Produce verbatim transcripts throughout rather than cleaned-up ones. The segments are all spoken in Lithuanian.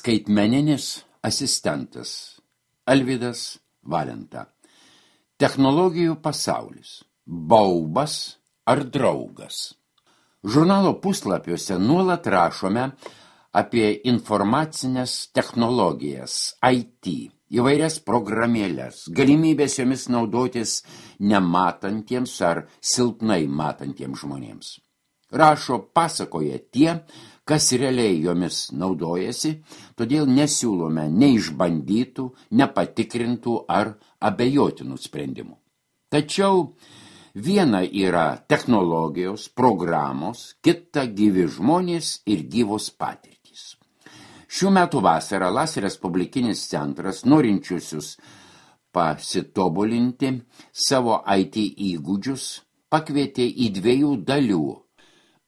Skaitmeninis asistentas Alvydas Valenta. Technologijų pasaulis. Baubas ar draugas? Žurnalo puslapiuose nuolat rašome apie informacinės technologijas, I T, įvairias programėlės, galimybės jomis naudotis nematantiems ar silpnai matantiems žmonėms. Rašo, pasakoja tie, kas realiai jomis naudojasi, todėl nesiūlome neišbandytų, nepatikrintų ar abejotinų sprendimų. Tačiau viena yra technologijos, programos, kita gyvi žmonės ir gyvos patirtys. Šių metų vasarą LAS Respublikinis centras norinčiusius pasitobulinti savo I T įgūdžius pakvietė į dviejų dalių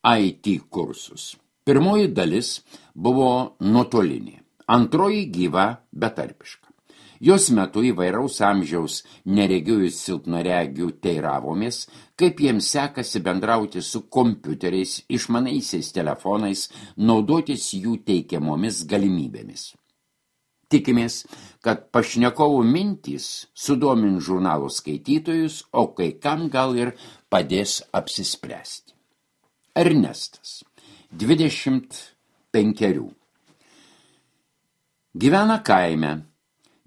I T kursus. Pirmoji dalis buvo nuotolinė, antroji gyva betarpiška. Jos metu įvairaus amžiaus neregių ir silpnaregių teiravomės, kaip jiems sekasi bendrauti su kompiuteriais, išmanaisiais telefonais, naudotis jų teikiamomis galimybėmis. Tikimės, kad pašnekovų mintys sudomins žurnalo skaitytojus, o kai kam gal ir padės apsispręsti. Ernestas, dvidešimt penkerių. Gyvena kaime,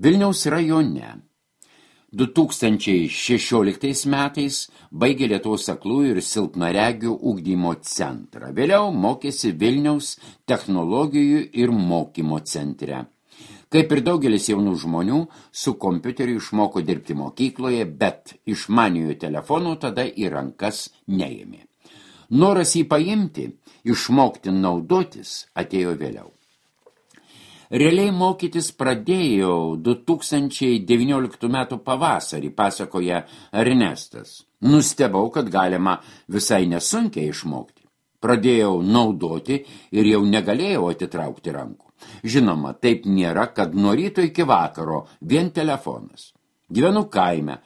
Vilniaus rajone. du tūkstančiai šešioliktais metais baigė Lietuvos aklųjų ir silpnaregių ugdymo centrą. Vėliau mokėsi Vilniaus technologijų ir mokymo centre. Kaip ir daugelis jaunų žmonių, su kompiuteriu išmoko dirbti mokykloje, bet išmaniojo telefonų tada į rankas neėmė. Noras jį paimti, išmokti naudotis atėjo vėliau. Realiai mokytis pradėjau du tūkstančiai devynioliktų metų pavasarį, pasakoja Ernestas. Nustebau, kad galima visai nesunkiai išmokti. Pradėjau naudoti ir jau negalėjau atitraukti rankų. Žinoma, taip nėra, kad nuo ryto iki vakaro vien telefonas. Gyvenu kaime.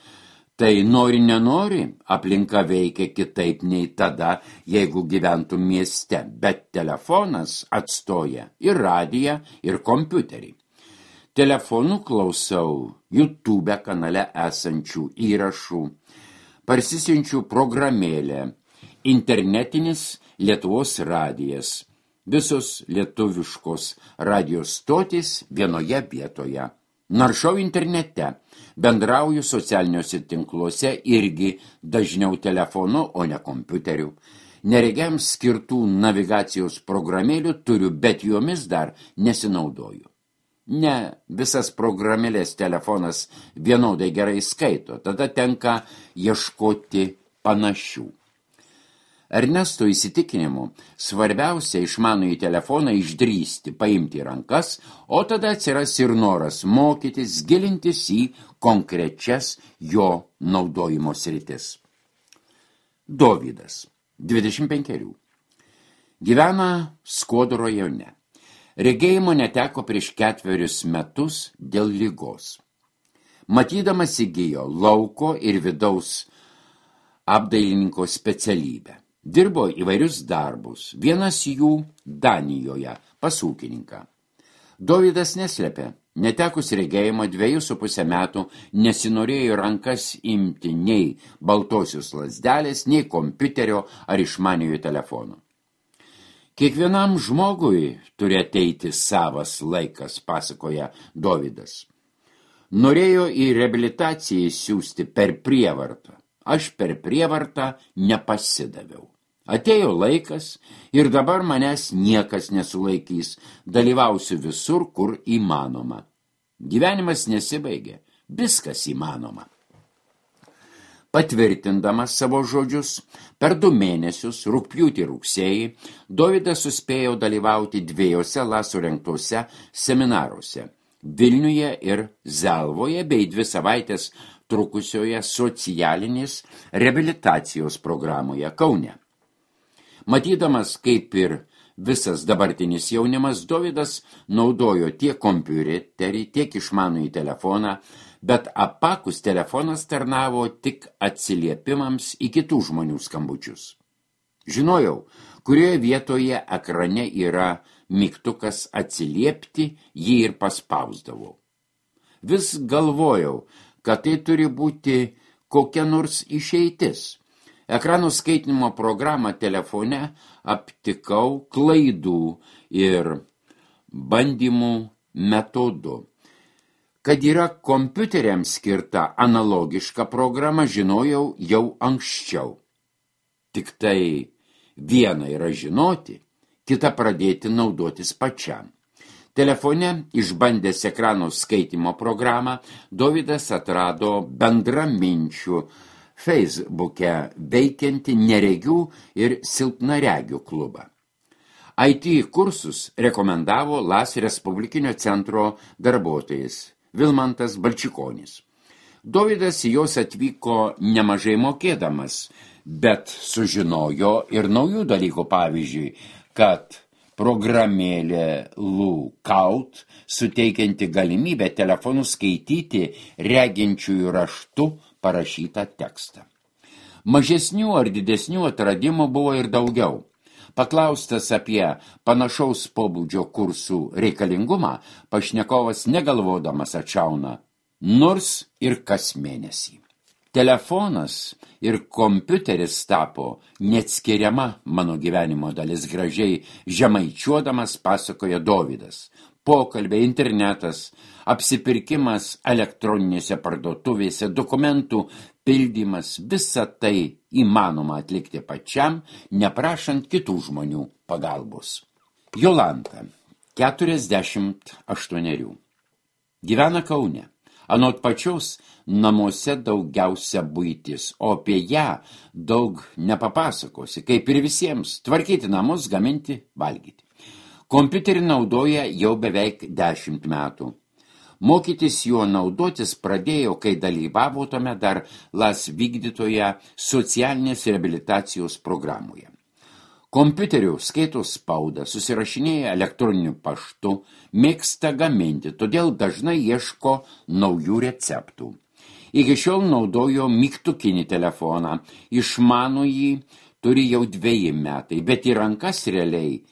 Tai nori nenori, aplinka veikia kitaip nei tada, jeigu gyventų mieste, bet telefonas atstoja ir radiją, ir kompiuterį. Telefonu klausau YouTube kanale esančių įrašų, parsisiunčiu programėlę, internetinis Lietuvos radijas, visos lietuviškos radijos stotys vienoje vietoje. Naršau internete, bendrauju socialiniuose tinkluose irgi dažniau telefonu, o ne kompiuteriu. Neregiams skirtų navigacijos programėlių turiu, bet jomis dar nesinaudoju. Ne visas programėlės telefonas vienodai gerai skaito, tada tenka ieškoti panašių. Ernesto įsitikinimu, svarbiausia išmanųjį telefoną išdrįsti, paimti į rankas, o tada atsiras ir noras mokytis, gilintis į konkrečias jo naudojimo sritis. Dovydas, dvidešimt penkerių. Gyvena Skuodo rajone. Regėjimo neteko prieš ketverius metus dėl ligos. Matydamas įgijo lauko ir vidaus apdailininko specialybę. Dirbo įvairius darbus, vienas jų Danijoje, pas ūkininką. Dovydas neslėpė, netekus regėjimo dviejų su pusę metų nesinorėjo rankas imti nei baltosios lazdelės, nei kompiuterio ar išmaniojo telefono. Kiekvienam žmogui turi ateiti savas laikas, pasakoja Dovydas. Norėjo į reabilitaciją siųsti per prievartą. Aš per prievartą nepasidaviau. Atėjo laikas ir dabar manęs niekas nesulaikys, dalyvausiu visur, kur įmanoma. Gyvenimas nesibaigė, viskas įmanoma. Patvirtindamas savo žodžius, per du mėnesius, rugpjūtį rugsėjį, Dovydas suspėjo dalyvauti dviejose LAS surengtose seminaruose – Vilniuje ir Zelvoje bei dvi savaitės trukusioje socialinės reabilitacijos programoje Kaune. Matydamas, kaip ir visas dabartinis jaunimas, Dovydas naudojo tiek kompiuterį, tiek išmanųjį telefoną, bet apakus telefonas tarnavo tik atsiliepimams į kitų žmonių skambučius. Žinojau, kurioje vietoje ekrane yra mygtukas atsiliepti, jį ir paspausdavau. Vis galvojau, kad tai turi būti kokia nors išeitis. Ekranų skaitinimo programą telefone aptikau klaidų ir bandymų metodu. Kad yra kompiuteriams skirta analogiška programa, žinojau jau anksčiau. Tik tai viena yra žinoti, kita pradėti naudotis pačiam. Telefone, išbandęs ekranų skaitimo programą, Dovydas atrado bendraminčių Facebook'e veikiantį neregių ir silpnaregių klubą. I T kursus rekomendavo Las Respublikinio centro darbuotojas Vilmantas Balčikonis. Dovydas į jos atvyko nemažai mokėdamas, bet sužinojo ir naujų dalykų, pavyzdžiui, kad programėlė Lookout suteikianti galimybę telefonu skaityti reginčiųjų raštu parašytą tekstą. Mažesnių ar didesnių atradimų buvo ir daugiau. Paklaustas apie panašaus pobūdžio kursų reikalingumą, pašnekovas negalvodamas atšauna, nors ir kas mėnesį. Telefonas ir kompiuteris tapo neatskiriama mano gyvenimo dalis, gražiai žemaičiuodamas pasakoja Dovydas. Pokalbiai, internetas, apsipirkimas elektroninėse parduotuvėse, dokumentų pildymas, visa tai įmanoma atlikti pačiam, neprašant kitų žmonių pagalbos. Jolanta, keturiasdešimt aštuonerių. Gyvena Kaune. Anot pačios namuose daugiausia buitis, o apie ją daug nepapasakosi, kaip ir visiems, tvarkyti namus, gaminti, valgyti. Kompiuterį naudoja jau beveik dešimt metų. Mokytis juo naudotis pradėjo, kai dalyvavo tome dar Las vykdytoje socialinės reabilitacijos programoje. Kompiuteriu skaito spaudą, susirašinėja elektroniniu paštu, mėgsta gaminti, todėl dažnai ieško naujų receptų. Iki šiol naudojo mygtukinį telefoną, išmano jį turi jau dveji metai, bet į rankas realiai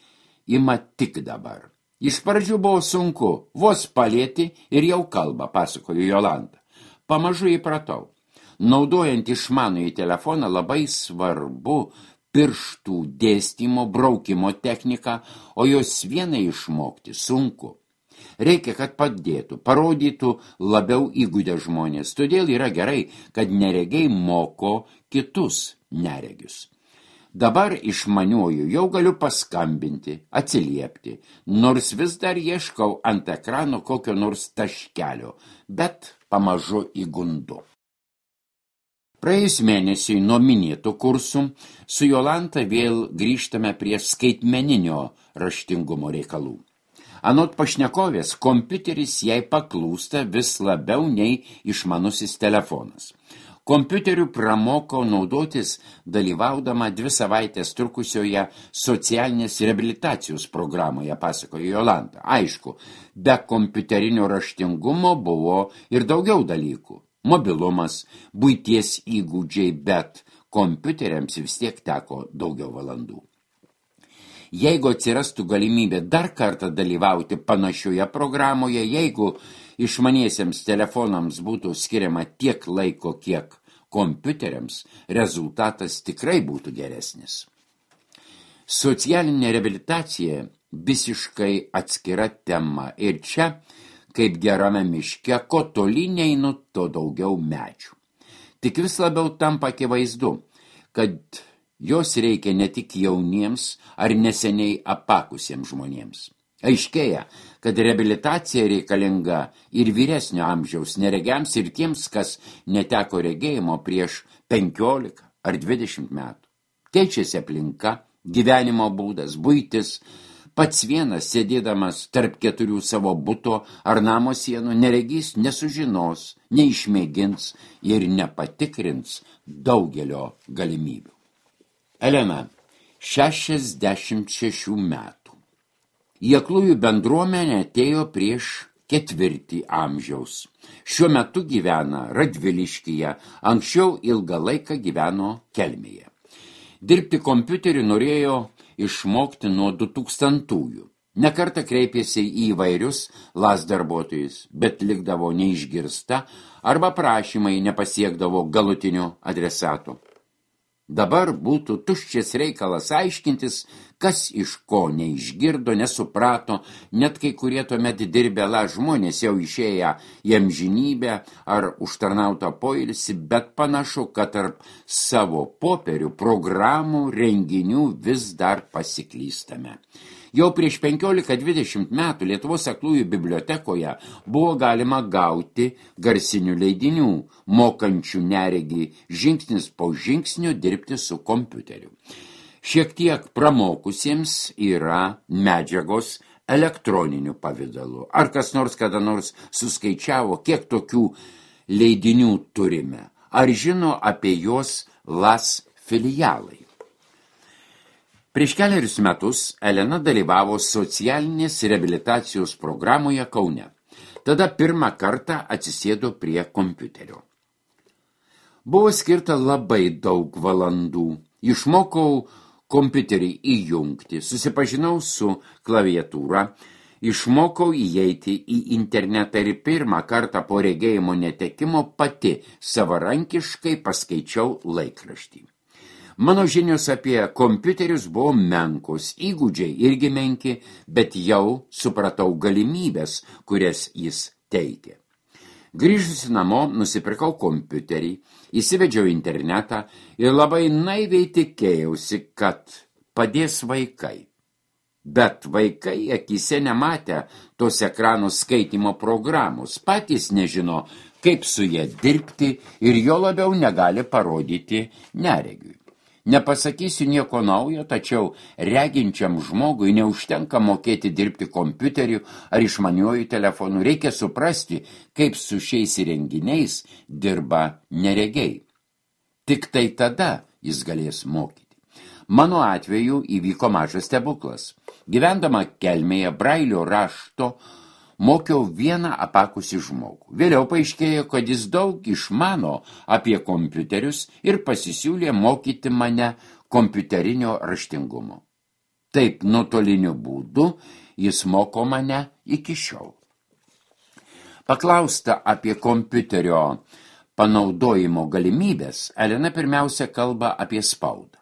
ima tik dabar. Iš pradžių buvo sunku, vos palėti ir jau kalba, pasakojo Jolanta. Pamažu įpratau. Naudojant išmanųjį telefoną labai svarbu pirštų dėstymo, braukimo techniką, o jos vienai išmokti sunku. Reikia, kad padėtų, parodytų labiau įgudę žmonės. Todėl yra gerai, kad neregiai moko kitus neregius. Dabar išmaniuoju jau galiu paskambinti, atsiliepti, nors vis dar ieškau ant ekrano kokio nors taškelio, bet pamažu įgundu. Praėjus mėnesiui nuo minėtų kursų su Jolanta vėl grįžtame prie skaitmeninio raštingumo reikalų. Anot pašnekovės, kompiuteris jai paklūsta vis labiau nei išmanusis telefonas. Kompiuteriu pramoko naudotis dalyvaudama dvi savaitės trukusioje socialinės reabilitacijos programoje, pasakojo Jolanta. Aišku, be kompiuterinio raštingumo buvo ir daugiau dalykų. Mobilumas, buities įgūdžiai, bet kompiuteriams vis tiek teko daugiau valandų. Jeigu atsirastų galimybė dar kartą dalyvauti panašioje programoje, jeigu išmaniesiems telefonams būtų skiriama tiek laiko, kiek kompiuteriams, rezultatas tikrai būtų geresnis. Socialinė reabilitacija visiškai atskira tema ir čia, kaip gerame miške, ko toli neinu, to daugiau medžių. Tik vis labiau tampa akivaizdu, kad jos reikia ne tik jauniems ar neseniai apakusiems žmonėms. Aiškėja, kad reabilitacija reikalinga ir vyresnio amžiaus neregiams ir tiems, kas neteko regėjimo prieš penkiolika ar dvidešimt metų. Keičiasi aplinka, gyvenimo būdas, buitis. Pats vienas, sėdėdamas tarp keturių savo buto ar namo sienų, neregys nesužinos, neišmėgins ir nepatikrins daugelio galimybių. Elena, šešiasdešimt šešių metų. Į aklųjų bendruomenę atėjo prieš ketvirtį amžiaus. Šiuo metu gyvena Radviliškyje, anksčiau ilgą laiką gyveno Kelmėje. Dirbti kompiuteriu norėjo išmokti nuo du tūkstantųjų. Nekartą kreipėsi į įvairius las darbuotojus, bet likdavo neišgirsta arba prašymai nepasiekdavo galutinių adresatų. Dabar būtų tuščias reikalas aiškintis, kas iš ko neišgirdo, nesuprato, net kai kurie tuomet dirbę la žmonės jau išėję į amžinybę ar užtarnautą poilsį, bet panašu, kad tarp savo popierių, programų, renginių vis dar pasiklystame. Jau prieš penkiolika dvidešimt metų Lietuvos aklųjų bibliotekoje buvo galima gauti garsinių leidinių, mokančių neregį žingsnis po žingsnio dirbti su kompiuteriu. Šiek tiek pramokusiems yra medžiagos elektroniniu pavidalu. Ar kas nors kada nors suskaičiavo, kiek tokių leidinių turime? Ar žino apie juos las filialai? Prieš keliarius metus Elena dalyvavo socialinės reabilitacijos programoje Kaune. Tada pirmą kartą atsisėdo prie kompiuterio. Buvo skirta labai daug valandų. Išmokau kompiuterį įjungti, susipažinau su klaviatūra, išmokau įeiti į internetą ir pirmą kartą po regėjimo netekimo pati savarankiškai paskaičiau laikraštį. Mano žinios apie kompiuterius buvo menkos, įgūdžiai irgi menki, bet jau supratau galimybės, kurias jis teikė. Grįžusi namo, nusipirkau kompiuterį, įsivedžiau internetą ir labai naiviai tikėjausi, kad padės vaikai. Bet vaikai akyse nematė tos ekranų skaitymo programos, patys nežino, kaip su jie dirbti ir jo labiau negali parodyti neregiui. Nepasakysiu nieko naujo, tačiau reginčiam žmogui neužtenka mokėti dirbti kompiuteriu ar išmaniuoju telefonu. Reikia suprasti, kaip su šiais įrenginiais dirba neregiai. Tik tai tada jis galės mokyti. Mano atveju įvyko mažas stebuklas. Gyvendama Kelmėje brailio rašto mokiau vieną apakusį žmogų. Vėliau paaiškėjo, kad jis daug išmano apie kompiuterius ir pasisiūlė mokyti mane kompiuterinio raštingumo. Taip, nuotoliniu būdu jis moko mane iki šiol. Paklausta apie kompiuterio panaudojimo galimybės, Elena pirmiausia kalba apie spaudą.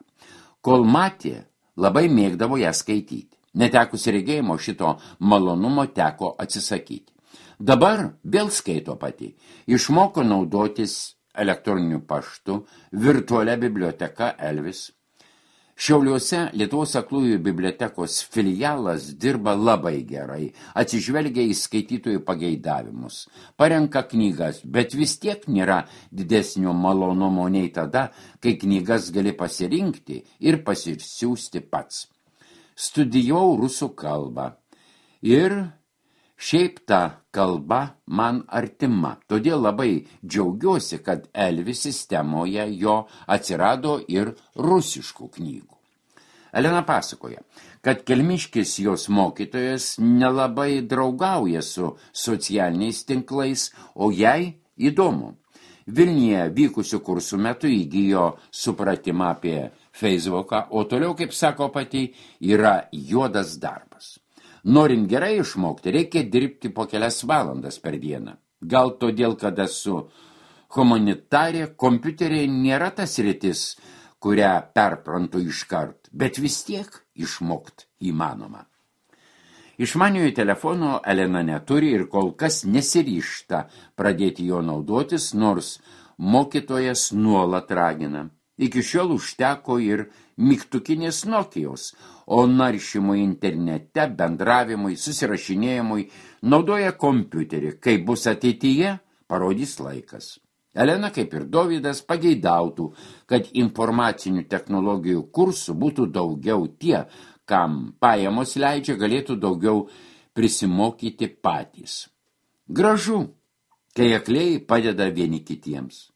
Kol matė, labai mėgdavo ją skaityti. Netekus regėjimo šito malonumo teko atsisakyti. Dabar vėl skaito pati. Išmoko naudotis elektroniniu paštu, virtualia biblioteka Elvis. Šiauliuose Lietuvos aklųjų bibliotekos filialas dirba labai gerai, atsižvelgia į skaitytojų pageidavimus, parenka knygas, bet vis tiek nėra didesnio malonumo nei tada, kai knygas gali pasirinkti ir pasisiųsti pats. Studijavau rusų kalbą ir šiaip ta kalba man artima, todėl labai džiaugiuosi, kad Elvis sistemoje jo atsirado ir rusiškų knygų. Elena pasakoja, kad kelmiškis jos mokytojas nelabai draugauja su socialiniais tinklais, o jai įdomu. Vilniuje vykusių kursų metu įgijo supratimą apie Facebooką, o toliau, kaip sako pati, yra juodas darbas. Norint gerai išmokti, reikia dirbti po kelias valandas per dieną. Gal todėl, kad esu humanitarė, kompiuteriai nėra tas sritis, kurią perprantu iškart, bet vis tiek išmokt įmanoma. Išmaniojo telefono Elena neturi ir kol kas nesiryžta pradėti jo naudotis, nors mokytojas nuolat ragina. Iki šiol užteko ir mygtukinės Nokijos, o naršymui internete, bendravimui, susirašinėjimui naudoja kompiuterį. Kai bus ateityje, parodys laikas. Elena, kaip ir Dovydas, pageidautų, kad informacinių technologijų kursų būtų daugiau, tie, kam pajamos leidžia, galėtų daugiau prisimokyti patys. Gražu, kai akliai padeda vieni kitiems.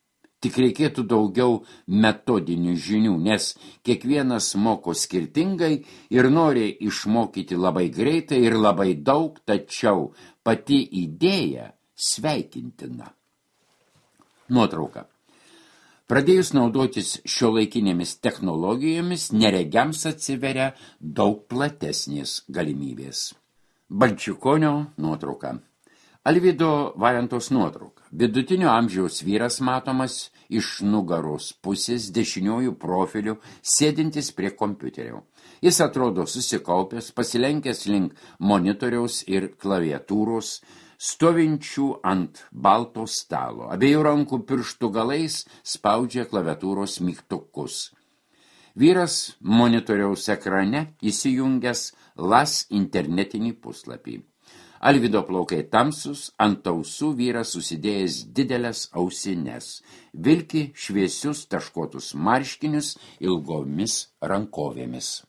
Tik reikėtų daugiau metodinių žinių, nes kiekvienas moko skirtingai ir nori išmokyti labai greitai ir labai daug, tačiau pati idėja sveikintina. Nuotrauka. Pradėjus naudotis šiuolaikinėmis technologijomis, neregiams atsiveria daug platesnės galimybės. Balčikonio nuotrauka. Alvydo Valentos nuotrauka. Vidutinio amžiaus vyras matomas iš nugaros pusės dešiniojų profilių, sėdintis prie kompiuterio. Jis atrodo susikaupęs, pasilenkęs link monitoriaus ir klaviatūros, stovinčių ant balto stalo. Abiejų rankų pirštų galais spaudžia klaviatūros mygtukus. Vyras monitoriaus ekrane įsijungęs las internetinį puslapį. Alvydo plaukai tamsus, ant ausų vyras susidėjęs didelės ausines, vilki šviesius taškotus marškinius ilgomis rankovėmis.